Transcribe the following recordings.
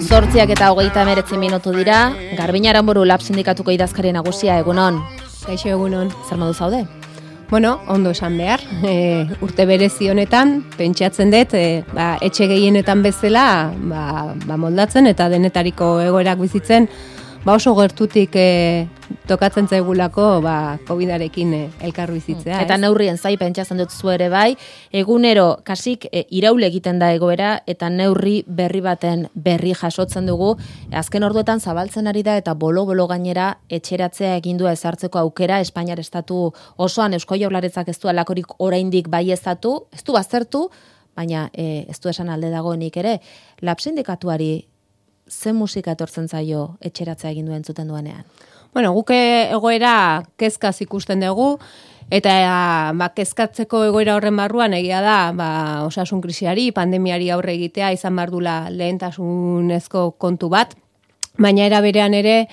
8:39 dira, Garbin Aranburu Lab Sindikatuko idazkari nagusia, egunon. Kaixo, egunon. Zer modu zaude? Bueno, ondo esan behar. Urte berezi honetan, pentsatzen dut, etxe gehienetan bezala, moldatzen eta denetariko egoerak bizitzen, oso gertutik tokatzen zaigulako COVID-arekin elkar bizitzea. Eta neurrien zai pentsatzen dut zu ere bai, egunero kasik iraule egiten da egoera eta neurri berri baten berri jasotzen dugu. Azken orduetan zabaltzen ari da eta bolo-bolo gainera etxeratzea egindua ezartzeko aukera Espainiar estatu osoan Eusko Jaurlaritzak ez du alakorik oraindik baieztatu, ez du baztertu, baina ez du esan alde dagoenik ere. Lab Sindikatuari ze musika etortzen zaio etxeratzea egin duen zuten duenean? Bueno, guke egoera kezkaz ikusten dugu, eta kezkatzeko egoera horren barruan egia da, osasun krisiari, pandemiari aurre egitea izan bardula lehentasunezko kontu bat. Baina era berean ere,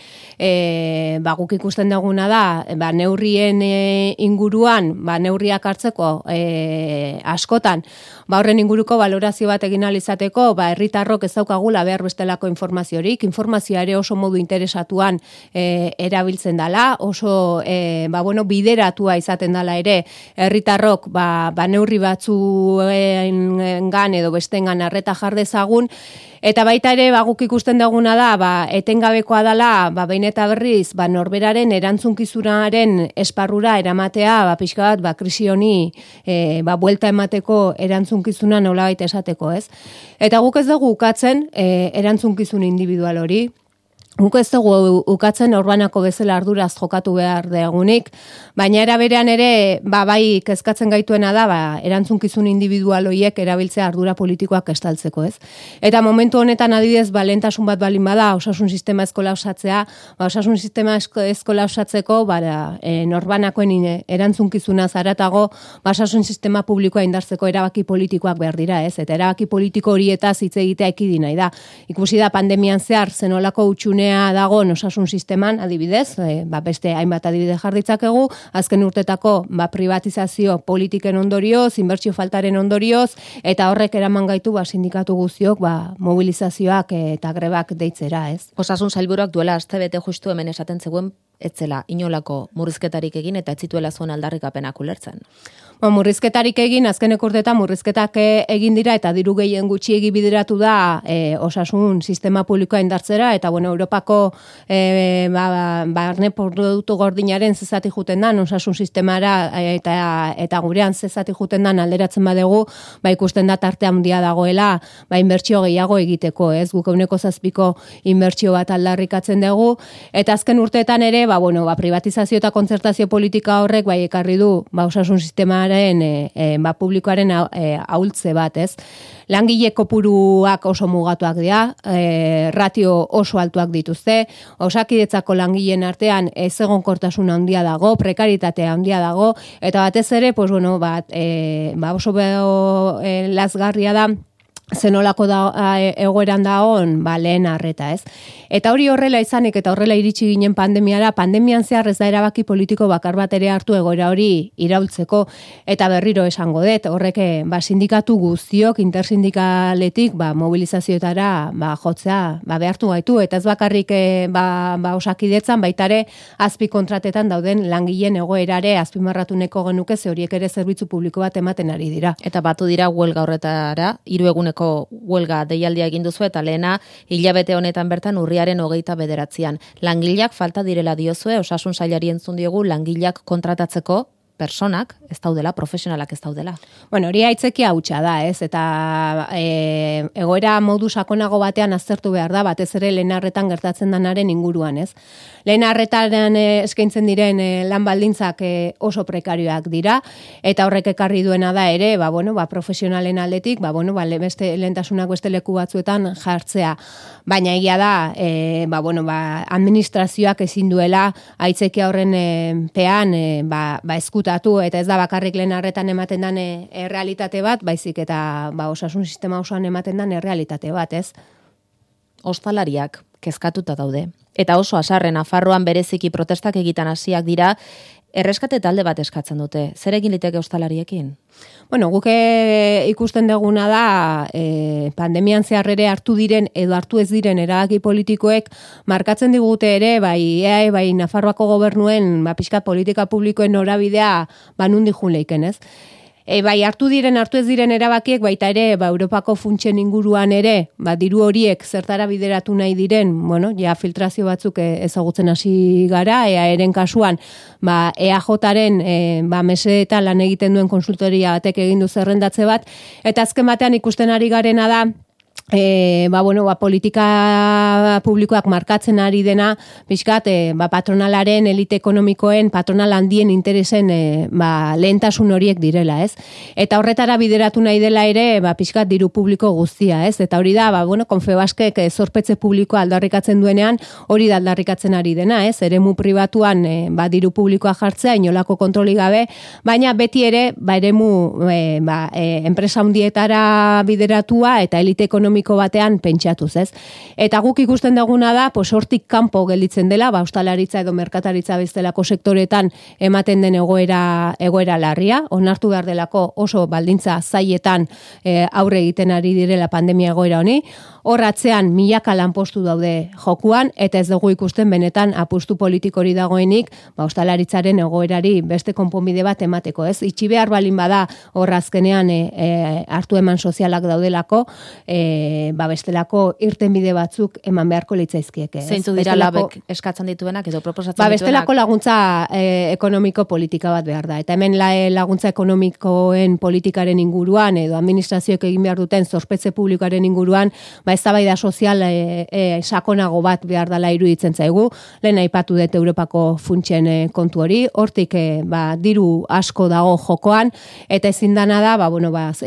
guk ikusten duguna da, neurrien inguruan, neurriak hartzeko askotan, horren inguruko valorazio bat egin ahal izateko, herritarrok ez daukagula behar bestelako informaziorik, informazioa ere oso modu interesatuan erabiltzen dela, oso bideratua izaten dela ere, herritarrok neurri batzuengan edo bestengan arreta jar dezagun, eta baita ere, guk ikusten duguna da, etengabekoa dela, behin eta berriz, norberaren erantzunkizunaren esparrura eramatea, pixka bat, krisi honi, buelta emateko erantzunkizuna nolabait esateko, ez? Eta guk ez dugu ukatzen erantzunkizun individual hori, guk ez dugu ukatzen orbanako bezala arduraz jokatu behar degunik, baina era berean ere, bai kezkatzen gaituena da, erantzunkizun individual horiek erabiltzea ardura politikoak estaltzeko, ez? Eta momentu honetan adibidez, lehentasun bat balin bada, osasun sistema eskola osatzea, osasun sistema eskola osatzeko, norbanakoen erantzunkizuna zaratago, osasun sistema publikoa indartzeko erabaki politikoak behar dira, ez? Eta erabaki politiko horietaz hitz egitea ekidi nahi da. Ikusi da pandemian zehar zenolako utxunea dago osasun sisteman, adibidez, beste hainbat adibide jarditzakegu, azken urtetako privatizazio politiken ondorioz, inbertsio faltaren ondorioz, eta horrek eraman gaitu sindikatu guztiok mobilizazioak eta grebak deitzera, ez? Osasun sailburuak duela astebete justu hemen esaten zegoen etzela inolako murrizketarik egin eta ez zituela zuen aldarrikapenak ulertzen. Murrizketarik egin, azkeneko urteetan murrizketak egin dira eta diru gehien gutxiegi bideratu da osasun sistema publikoa indartzera eta Europako barne produktu gordinaren zezati juten dan osasun sistemara eta gurean zezati juten dan alderatzen badegu, ikusten da tarte handia dagoela, inbertsio gehiago egiteko, ez? Guk 7% inbertsio bat aldarrikatzen dugu eta azken urteetan ere, privatizazio eta kontzertazio politika horrek ekarri du osasun sistemaren publikoaren ahultze bat, ez? Langile kopuruak oso mugatuak dira, ratio oso altuak dituzte, Osakidetzako langileen artean ezegonkortasun handia dago, prekaritatea handia dago, eta batez ere, oso lazgarria da, zenolako egoeran dagoen lehen arreta, ez? Eta hori horrela izanik eta horrela iritsi ginen pandemiara, pandemian zehar ez da erabaki politiko bakar bat ere hartu egoera hori iraultzeko, eta berriro esango dut, horrek sindikatu guztiok, intersindikaletik mobilizazioetara jotzea behartu gaitu, eta ez bakarrik Osakidetzan, baitare azpi kontratetan dauden langileen egoerare azpimarratuneko genuke, ze horiek ere zerbitzu publiko bat ematen ari dira. Eta batu dira huelga horretara, 3 eguneko huelga deialdia egin duzu eta lehena hilabete honetan bertan urriaren 29an. Langileak falta direla diozue, osasun sailari entzun diogu langileak kontratatzeko personak ez daudela, profesionalak ez daudela. Hori aitzekia hutsa da, ez? Eta egoera modu sakonago batean aztertu behar da, batez ere lehen arretan gertatzen danaren inguruan, ez? Lehen arretan eskaintzen diren lan baldintzak oso prekarioak dira, eta horrek ekarri duena da ere, profesionalen aldetik, beste lehentasunak beste leku batzuetan jartzea. Baina egia da, administrazioak ezin duela aitzekia horren pean eskutatu, eta ez da bakarrik lehen arretan ematen den errealitate bat, baizik eta osasun sistema osoan ematen den errealitate bat, ez? Ostalariak kezkatuta daude. Eta oso haserre Nafarroan bereziki protestak egiten hasiak dira, erreskate talde bat eskatzen dute. Zer egin liteke ostalariekin? Bueno, guk ikusten duguna da pandemian zehar ere hartu diren edo hartu ez diren erabaki politikoek markatzen digute ere, bai EAE, bai Nafarroako gobernuen pixka politika publikoen norabidea nundi jun leiken, ez? Bai, hartu ez diren erabakiek, baita ere, Europako funtsen inguruan ere, diru horiek zertara bideratu nahi diren, bueno, ja filtrazio batzuk ezagutzen hasi gara, EAEren kasuan, EAJaren mesedetan lan egiten duen konsultoria batek egin du zerrendatze bat, eta azken batean ikusten ari garena da, politika publikoak markatzen ari dena, pixkat, patronalaren, elite ekonomikoen, patronal handien interesen lehentasun horiek direla, ez? Eta horretara bideratu nahi dela ere, pixkat diru publiko guztia, ez? Eta hori da, Confebaskek zorpetze publikoa aldarrikatzen duenean, hori da aldarrikatzen ari dena, ez? Eremu pribatuan, diru publikoa jartzea, inolako kontroli gabe, baina beti ere, eremu, enpresa handietara bideratua eta elite ekonomiko batean pentsatuz, ez? Eta guk ikusten duguna da, hortik kanpo gelditzen dela, ostalaritza edo merkataritza bezalako sektoretan ematen den egoera larria, onartu behar delako oso baldintza zailetan aurre egiten ari direla pandemia egoera honi, hor atzean milaka lanpostu daude jokuan, eta ez dugu ikusten benetan apustu politikori dagoenik, ostalaritzaren egoerari beste konponbide bat emateko, ez? Itxi behar balin bada hor azkenean hartu eman sozialak daudelako, bestelako irtenbide batzuk eman beharko litzaizkieke. Zeintzuk dira labek eskatzen dituenak edo proposatzen dituenak? Bestelako laguntza ekonomiko politika bat behar da. Eta hemen laguntza ekonomikoen politikaren inguruan edo administrazioek egin behar duten zorpetze publikoaren inguruan, eztabaida sozial sakonago bat behar dela iruditzen zaigu. Lehen aipatu dut Europako funtsen kontu hori, hortik diru asko dago jokoan, eta ezin dana da,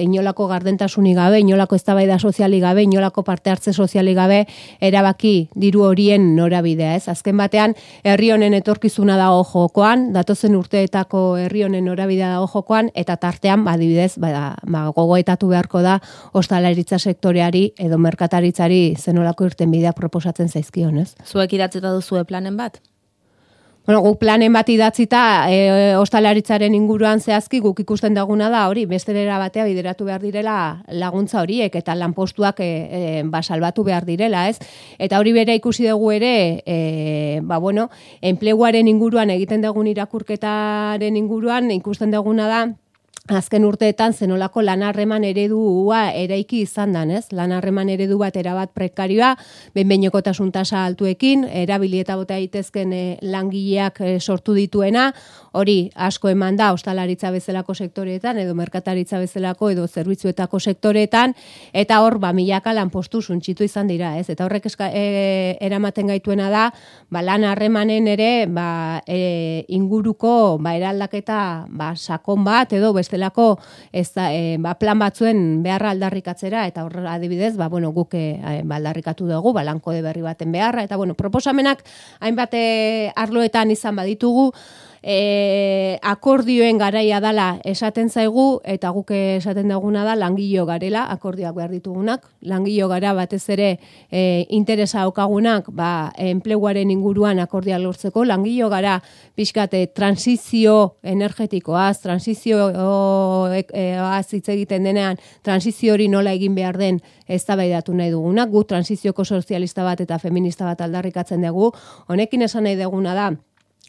inolako gardentasunik gabe, inolako eztabaida sozialik gabe, inolako parte hartze sozialik gabe, erabaki diru horien norabidea, ez? Azken batean, herri honen etorkizuna dago jokoan, datozen urteetako herri honen norabidea dago jokoan, eta tartean, adibidez, gogoetatu beharko da ostalaritza sektoreari edo merkataritzari zenolako irtenbideak proposatzen zaizkion, ez? Zuek idatzita duzue planen bat? Bueno, guk planen bat idatzita ostalaritzaren inguruan zehazki guk ikusten daguna da hori, besterera batea bideratu behar direla laguntza horiek eta lanpostuak salbatu behar direla, ez? Eta hori bere ikusi dugu ere, enpleguaren inguruan egiten dugun irakurketaren inguruan ikusten duguna da, azken urteetan zenolako lanharreman eredua eraiki izan dan, ez? Lanharreman eredu bat erabat prekarioa, behin-behinekotasun tasa altuekin, erabilieta bota daitezken langileak sortu dituena, hori asko eman da ostalaritza bezalako sektoreetan edo merkataritza bezalako edo zerbitzuetako sektoreetan, eta hor milaka lanpostu suntsitu izan dira, ez? Eta horrek eramaten gaituena da, lanharremanen ere inguruko eraldaketa sakon bat edo bestelako plan batzuen beharra aldarrikatzera, eta hor adibidez, guk aldarrikatu dugu, lankode berri baten beharra, eta proposamenak hainbat arloetan izan baditugu, akordioen garaia dala esaten zaigu, eta guk esaten duguna da langilo garela, akordioak behar ditugunak, langilo gara batez ere interesa daukagunak, enpleguaren inguruan akordioa lortzeko, langilo gara pixkat transizio energetikoaz, transizioaz hitz egiten denean, transizio hori nola egin behar den eztabaidatu nahi dugunak, gu transizioko sozialista bat eta feminista bat aldarrikatzen dugu, honekin esan nahi duguna da,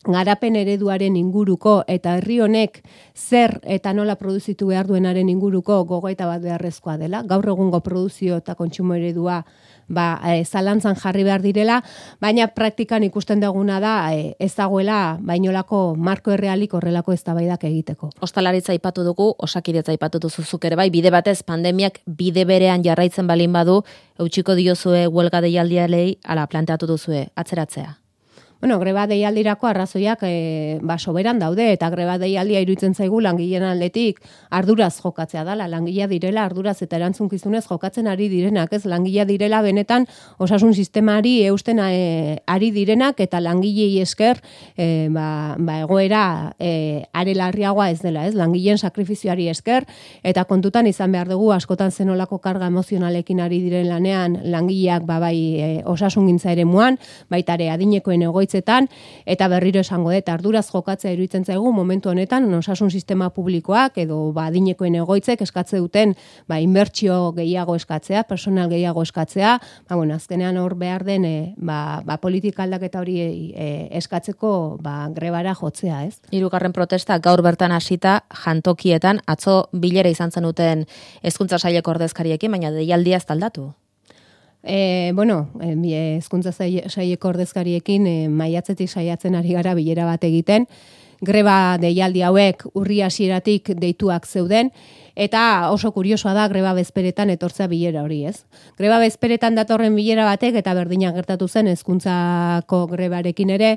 garapen ereduaren inguruko eta herri honek zer eta nola produzitu behar duenaren inguruko gogoeta bat beharrezkoa dela. Gaur egungo produzio eta kontsumo eredua zalantzan jarri behar direla, baina praktikan ikusten duguna da ez dagoela bainolako marko errealik horrelako eztabaidak egiteko. Ostalaritza aipatu dugu, Osakidetza aipatu duzuzuk ere bai, bide batez pandemiak bide berean jarraitzen balin badu, eutsiko diozue huelga deialdialei ala planteatu duzue atzeratzea. Bueno, greba deialdirako arrazoiak soberan daude, eta greba deialdia iruditzen zaigu langileen aldetik arduraz jokatzea dela, langilea direla arduraz eta erantzunkizunez jokatzen ari direnak, ez langilea direla benetan osasun sistemari eusten ari direnak, eta langilei esker egoera are larriagoa ez dela, ez langileen sakrifizioari esker, eta kontutan izan behar dugu askotan zenolako karga emozionalekin ari diren lanean langileak osasungintza eremuan, baita ere adinekoen egoitzetan, eta berriro esango dut arduraz jokatzea iruditzen zaigu momentu honetan osasun sistema publikoak edo adinekoen egoitzek eskatze duten inbertsio gehiago eskatzea, personal gehiago eskatzea, azkenean hor behar den politika aldaketa hori eskatzeko grebara jotzea, ez? 3. protesta gaur bertan hasita jantokietan, atzo bilera izan zenuten Hezkuntza Saileko ordezkariekin, baina deialdia ez aldatu. Hezkuntza Saileko ordezkariekin maiatzetik saiatzen ari gara bilera bat egiten, greba deialdi hauek urri hasieratik deituak zeuden, eta oso kuriosoa da greba bezperetan etortzea bilera hori, ez? Greba bezperetan datorren bilera batek, eta berdina gertatu zen hezkuntzako grebarekin ere,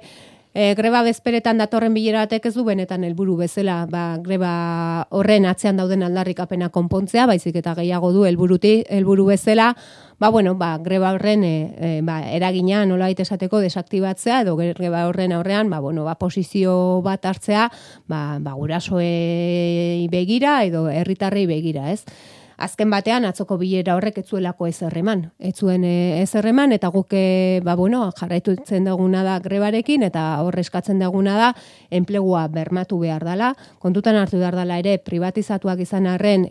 greba bezperetan datorren bilera batek ez du benetan helburu bezala greba horren atzean dauden aldarrikapena konpontzea, baizik eta gehiago du helburu bezala, greba horren eragina nolabait esateko desaktibatzea, edo greba horren aurrean posizio bat hartzea gurasoei begira edo herritarrei begira, ez? Azken batean atzoko bilera horrek ez zuelako ezer eman. Ez zuen ezer eman, eta guk jarraitutzen duguna da grebarekin, eta hor eskatzen duguna da enplegua bermatu behar dela. Kontutan hartu behar dela ere privatizatuak izan arren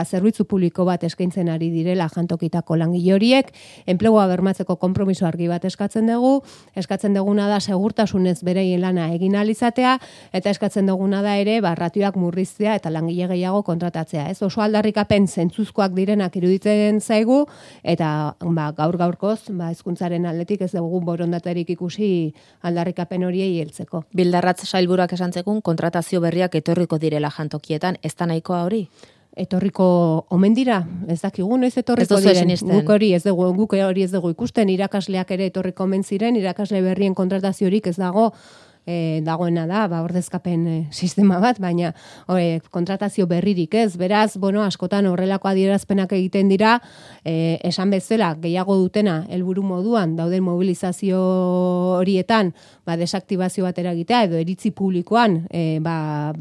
zerbitzu publiko bat eskaintzen ari direla jantokitako langile horiek, enplegua bermatzeko konpromiso argi bat eskatzen dugu, eskatzen duguna da segurtasunez bereien lana egin ahal izatea, eta eskatzen duguna da ere ratioak murriztea eta langile gehiago kontratatzea. Ez oso aldarrikapen zentzuzkoak direnak iruditzen zaigu, eta gaur-gaurkoz hezkuntzaren aldetik ez dugu borondaterik ikusi aldarrikapen horiei heltzeko. Bildarratz sailburuak esan zekun kontratazio berriak etorriko direla jantokietan, ez da nahikoa hori? Etorriko omen dira, ez dakigu noiz etorriko diren. Guk hori ez dugu ikusten, irakasleak ere etorriko omen ziren, irakasle berrien kontrataziorik ez dagoena da, ordezkapen sistema bat, baina kontratazio berririk ez. Beraz, askotan horrelako adierazpenak egiten dira, esan bezala, gehiago dutena helburu moduan, dauden mobilizazio horietan, desaktibazio bat eragitea, edo iritzi publikoan,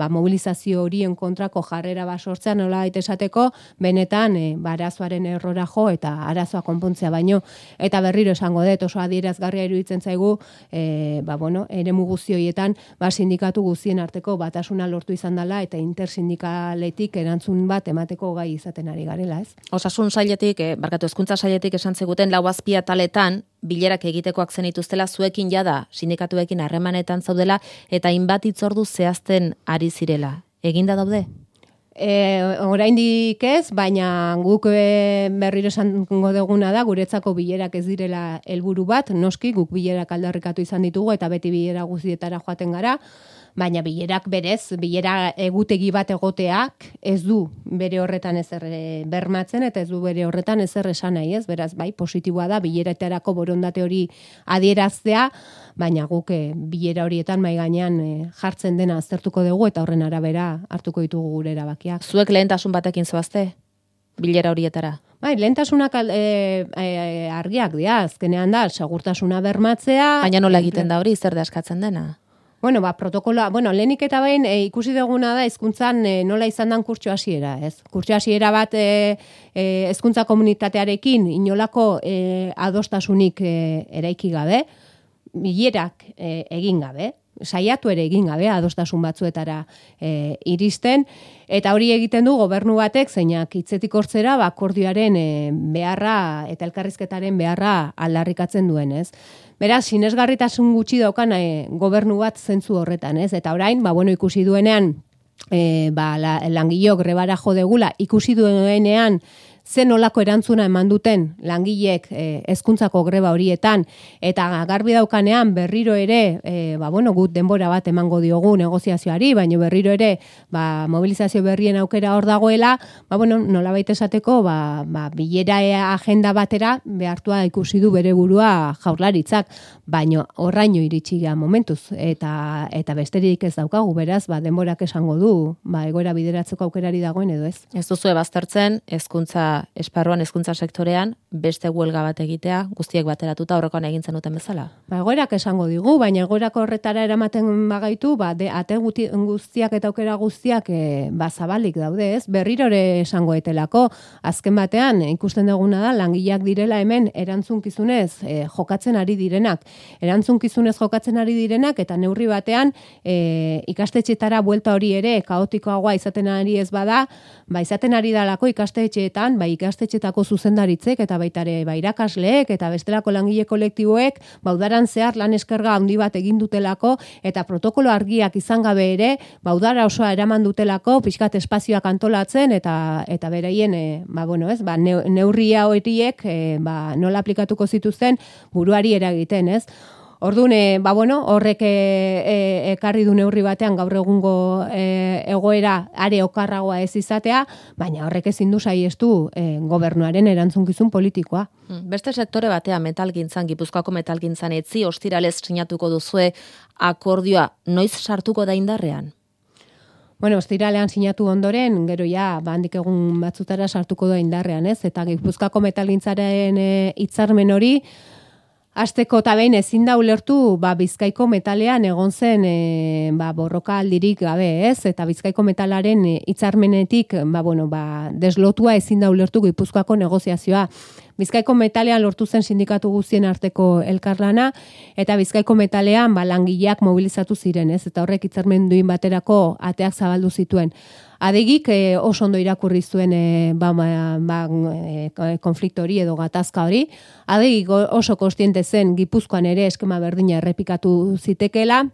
mobilizazio horien kontrako jarrera sortzea nola esateko, benetan, arazoaren errora jo, eta arazoa konpontzea baino, eta berriro esango dut, oso adierazgarria iruditzen zaigu, eremu guzti horietan, sindikatu guztien arteko batasuna lortu izan dela, eta intersindikaletik erantzun bat emateko gai izaten ari garela, ez? Osasun sailetik, Hezkuntza Sailetik esan zeguten 4 ataletan, bilerak egitekoak zenituztela, zuekin jada sindikatuekin harremanetan zaudela, eta hainbat hitzordu zehazten ari zirela. Eginda daude? Oraindik ez, baina guk berriro esango duguna da, guretzako bilerak ez direla helburu bat, noski guk bilerak aldarrikatu izan ditugu, eta beti bilera guztietara joaten gara, baina bilerak berez, bilera egutegi bat egoteak ez du bere horretan ezer bermatzen, eta ez du bere horretan ezer esan nahi, ez? Beraz, positiboa da, bileretarako borondate hori adieraztea, baina guk bilera horietan mai gainean jartzen dena aztertuko dugu, eta horren arabera hartuko ditugu gure erabakiak. Zuek lehentasun batekin zoazte, bilera horietara? Lehentasunak argiak dira, azkenean da, segurtasuna bermatzea. Baina nola egiten da hori, zer da eskatzen dena? Protokoloa, lehenik eta behin ikusi duguna da hezkuntzan nola izan dan kurtso hasiera, ez? Kurtso hasiera bat hezkuntza komunitatearekin inolako adostasunik eraiki gabe, bilerak egin gabe, saiatu ere egin gabe adostasun batzuetara iristen, eta hori egiten du gobernu batek zeinak hitzetik hortzera akordioaren beharra eta elkarrizketaren beharra aldarrikatzen duen, ez? Beraz, sinesgarritasun gutxi daukan gobernu bat zentzu horretan, ez? Eta orain, ikusi duenean, langilok grebara jo degula, ikusi duenean zen olako erantzuna eman duten langileek hezkuntzako greba horietan, eta garbi daukanean berriro ere, gut denbora bat emango diogu negoziazioari, baina berriro ere mobilizazio berrien aukera hor dagoela, nolabait esateko, bilera agenda batera behartua ikusi du bere burua Jaurlaritzak, baina horraino iritsi gara momentuz, eta besterik ez daukagu, beraz, denborak esango du, egoera bideratzeko aukerari dagoen edo ez. Ez duzu baztertzen, hezkuntza esparruan, hezkuntza sektorean, beste huelga bat egitea, guztiek bateratuta horrekoan egintzen duten bezala? Egoerak esango digu, baina egoerako horretara eramaten bagaitu, ate guztiak eta aukera guztiak zabalik daude, ez? Berrirore esango etelako, azken batean ikusten duguna da, langileak direla hemen erantzunkizunez jokatzen ari direnak. Erantzunkizunez jokatzen ari direnak, eta neurri batean ikastetxetara buelta hori ere kaotikoagoa izaten ari ez bada, izaten ari dalako ikastetxeetan, ikastetxetako zuzendaritzek eta baita ere irakasleek eta bestelako langile kolektiboek udaran zehar lan eskerga handi bat egin dutelako eta protokolo argiak izan gabe ere udara osoa eraman dutelako pixkat espazioak antolatzen eta beraien neurria horiek nola aplikatuko zituzten buruari eragiten, ez? Orduan, horrek ekarri du neurri batean gaur egungo egoera are okarragoa ez izatea, baina horrek ezin du saiestu gobernuaren erantzunkizun politikoa. Beste sektore batean metalgintzan, Gipuzkoako metalgintzan etzi ostiralez sinatuko duzue akordioa, noiz sartuko da indarrean? Ostiralean sinatu ondoren, gero handik egun batzutara sartuko da indarrean, ez? Eta Gipuzkoako metalgintzaren hitzarmen hori hasteko eta behin ezin da ulertu Bizkaiko metalean egon zen borroka aldirik gabe, ez? Eta Bizkaiko metalaren hitzarmenetik deslotua ezin da ulertu Gipuzkoako negoziazioa. Bizkaiko metalean lortu zen sindikatu guztien arteko elkarlana, eta Bizkaiko metalean langileak mobilizatu ziren, ez? Eta horrek hitzarmen duin baterako ateak zabaldu zituen. Adegik oso ondo irakurri zuen konflikto hori edo gatazka hori. Adegik oso kontziente zen Gipuzkoan ere eskema berdina errepikatu zitekela,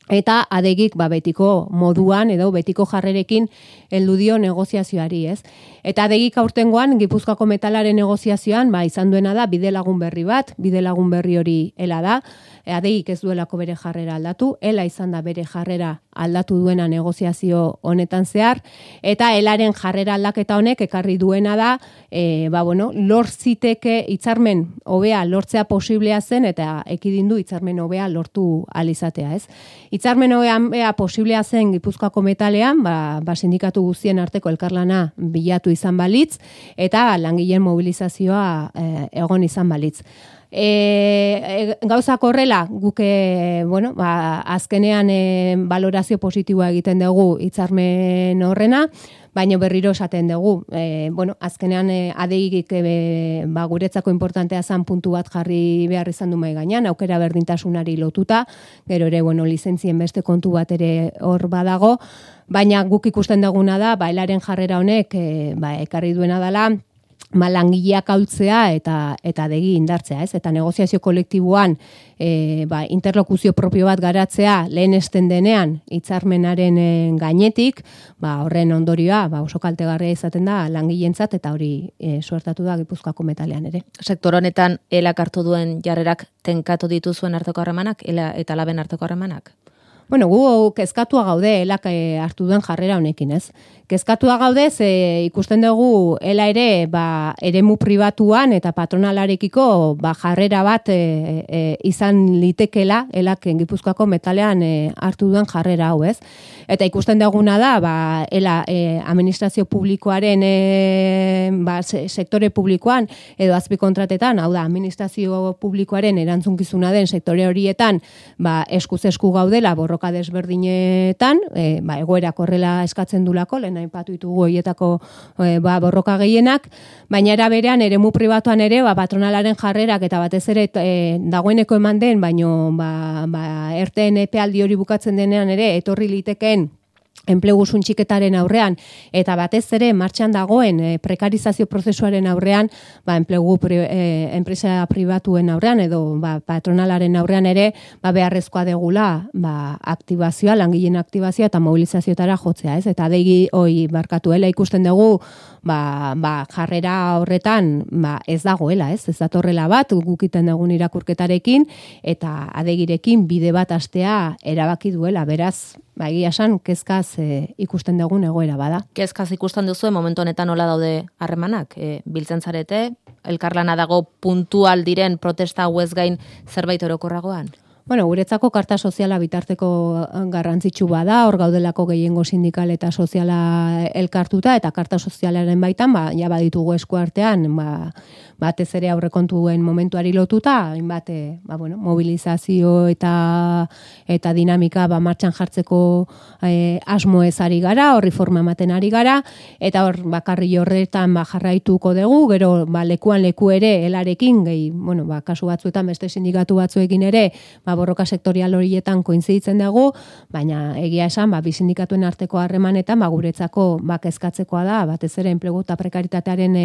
eta adegik betiko moduan edo betiko jarrerekin heldu dio negoziazioari, ez? Eta adegik aurtengoan Gipuzkoako metalaren negoziazioan izan duena da bidelagun berri bat, bidelagun berri hori ela da, adegik ez duelako bere jarrera aldatu, ela izan da bere jarrera aldatu duena negoziazio honetan zehar, eta elaren jarrera aldaketa honek ekarri duena da, lortziteke hitzarmen hobea lortzea posiblea zen, eta ekidindu hitzarmen hobea lortu alizatea, ez? Hitzarmen hobea posiblea zen Gipuzkoako metalean, sindikatu guztien arteko elkarlana bilatu izan balitz, eta langileen mobilizazioa egon izan balitz. Gauzak horrela, guk azkenean valorazio positiboa egiten dugu hitzarmen horrena, baina berriro esaten dugu. Azkenean adeigik guretzako importantea zan puntu bat jarri behar izan du mahai gainean, aukera berdintasunari lotuta, gero ere lizentzien beste kontu bat ere hor badago, baina guk ikusten duguna da, elaren jarrera honek ekarri duena dela, langileak ahultzea eta adegi indartzea, ez? Eta negoziazio kolektiboan interlokuzio propio bat garatzea lehenesten denean hitzarmenaren gainetik, horren ondorioa oso kaltegarria izaten da langileentzat, eta hori suertatu da Gipuzkoako metalean ere. Sektor honetan elak hartu duen jarrerak tenkatu dituzuen arteko harremanak, ela eta laben arteko harremanak? Gu kezkatua gaude elak hartu duen jarrera honekin, ez? Kezkatua gaude, ikusten dugu ela ere eremu pribatuan eta patronalarekiko jarrera bat izan litekela elak Gipuzkoako metalean hartu duen jarrera hau, ez? Eta ikusten duguna da, ela administrazio publikoaren sektore publikoan edo azpikontratetan, hau da, administrazio publikoaren erantzunkizuna den sektore horietan eskuz esku gaudela borroka desberdinetan, egoerak horrela eskatzen dulako, lehen aipatu ditugu horietako borroka gehienak, baina era berean eremu pribatuan ere patronalaren jarrerak eta batez ere dagoeneko eman den, baino erteen epealdi hori bukatzen denean ere etorri litekeen enplegu suntxiketaren aurrean, eta batez ere martxan dagoen prekarizazio prozesuaren aurrean, enplegu enpresa pribatuen aurrean, edo patronalaren aurrean ere, beharrezkoa degula aktibazioa, langileen aktibazioa eta mobilizazioetara jotzea, ez? Eta adegi barkatuela ikusten dugu, jarrera horretan ez dagoela, ez datorrela bat, gukiten dugun irakurketarekin, eta adegirekin bide bat hastea erabaki duela, beraz, egia esan, kezkaz ikusten dugun egoera bada. Kezkaz ikusten duzu, momentu honetan nola daude harremanak? Biltzen zarete, elkarlana dago puntual diren protesta hauez gain zerbait orokorragoan? Bueno, guretzako karta soziala bitarteko garrantzitsu bada, hor gaudelako gehiengo sindikal eta soziala elkartuta, eta karta sozialaren baitan, ja baditugu eskuartean, batez ere aurrekontuen momentuari lotuta, hainbat mobilizazio eta dinamika martxan jartzeko asmo ez ari gara, horri forma ematen ari gara, eta hor bakarri horretan jarraituko dugu, gero lekuan leku ere helarekin, kasu batzuetan beste sindikatu batzuekin ere, borroka sektorial horietan koinziditzen dugu, baina egia esan, bi sindikatuen arteko harremanetan, guretzako kezkatzekoa da, batez ere enplegu eta prekaritatearen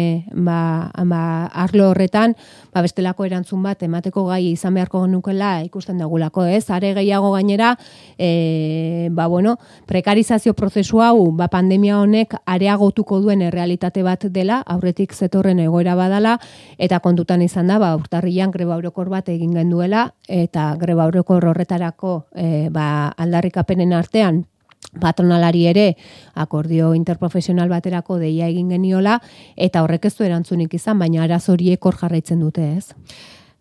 arlo horretan, bestelako erantzun bat emateko gai izan beharko nukela ikusten dugulako, ez? Are gehiago gainera, prekarizazio prozesu hau, pandemia honek areagotuko duen errealitate bat dela, aurretik zetorren egoera badala, eta kontutan izan da, urtarrian greba orokor bat egin genduela, eta greba orokor horretarako aldarrikapenen artean, patronalari ere akordio interprofesional baterako deia egin geniola, eta horrek ez du erantzunik izan, baina arazo horiek hor jarraitzen dute, ez?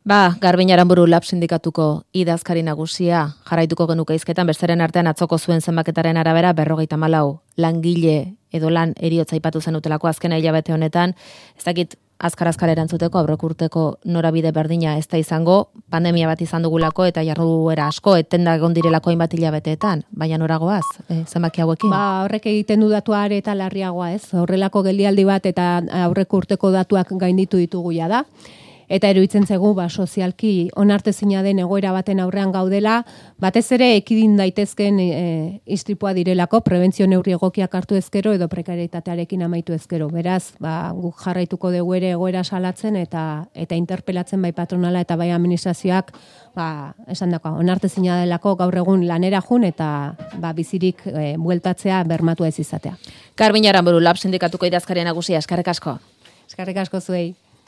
Garbin Aranburu Lab sindikatuko idazkari nagusia jarraituko genuke hizketan, besteren artean atzoko zuen zenbaketaren arabera 54 langile edo lan eriotza aipatu zenutelako azkena hilabete honetan, ez dakit azkar erantzuteko aurrekurteko norabide berdina ez da izango, pandemia bat izan dugulako eta jarduera asko etenda egon direlako hainbat hilabeteetan, baina noragoaz, zenbaki hauekin? Horrek egiten du datua are eta larriagoa, ez? Horrelako geldialdi bat eta aurrekurteko datuak gainditu ditugu ja da. Eta eruditzen zegu, sozialki onartezina den egoera baten aurrean gaudela, batez ere ekidin daitezken istripua direlako, prebentzio neurri egokiak hartu ezkero edo prekarietatearekin amaitu ezkero. Beraz, guk jarraituko dugu ere egoera salatzen eta interpelatzen bai patronala eta bai administrazioak, esan dakoa, onartezina delako gaur egun lanera jun eta bizirik bueltatzea bermatu ez izatea. Garbin Aranburu Lab sindikatuko idazkari nagusia, eskerrik asko. Eskerrik asko zuei.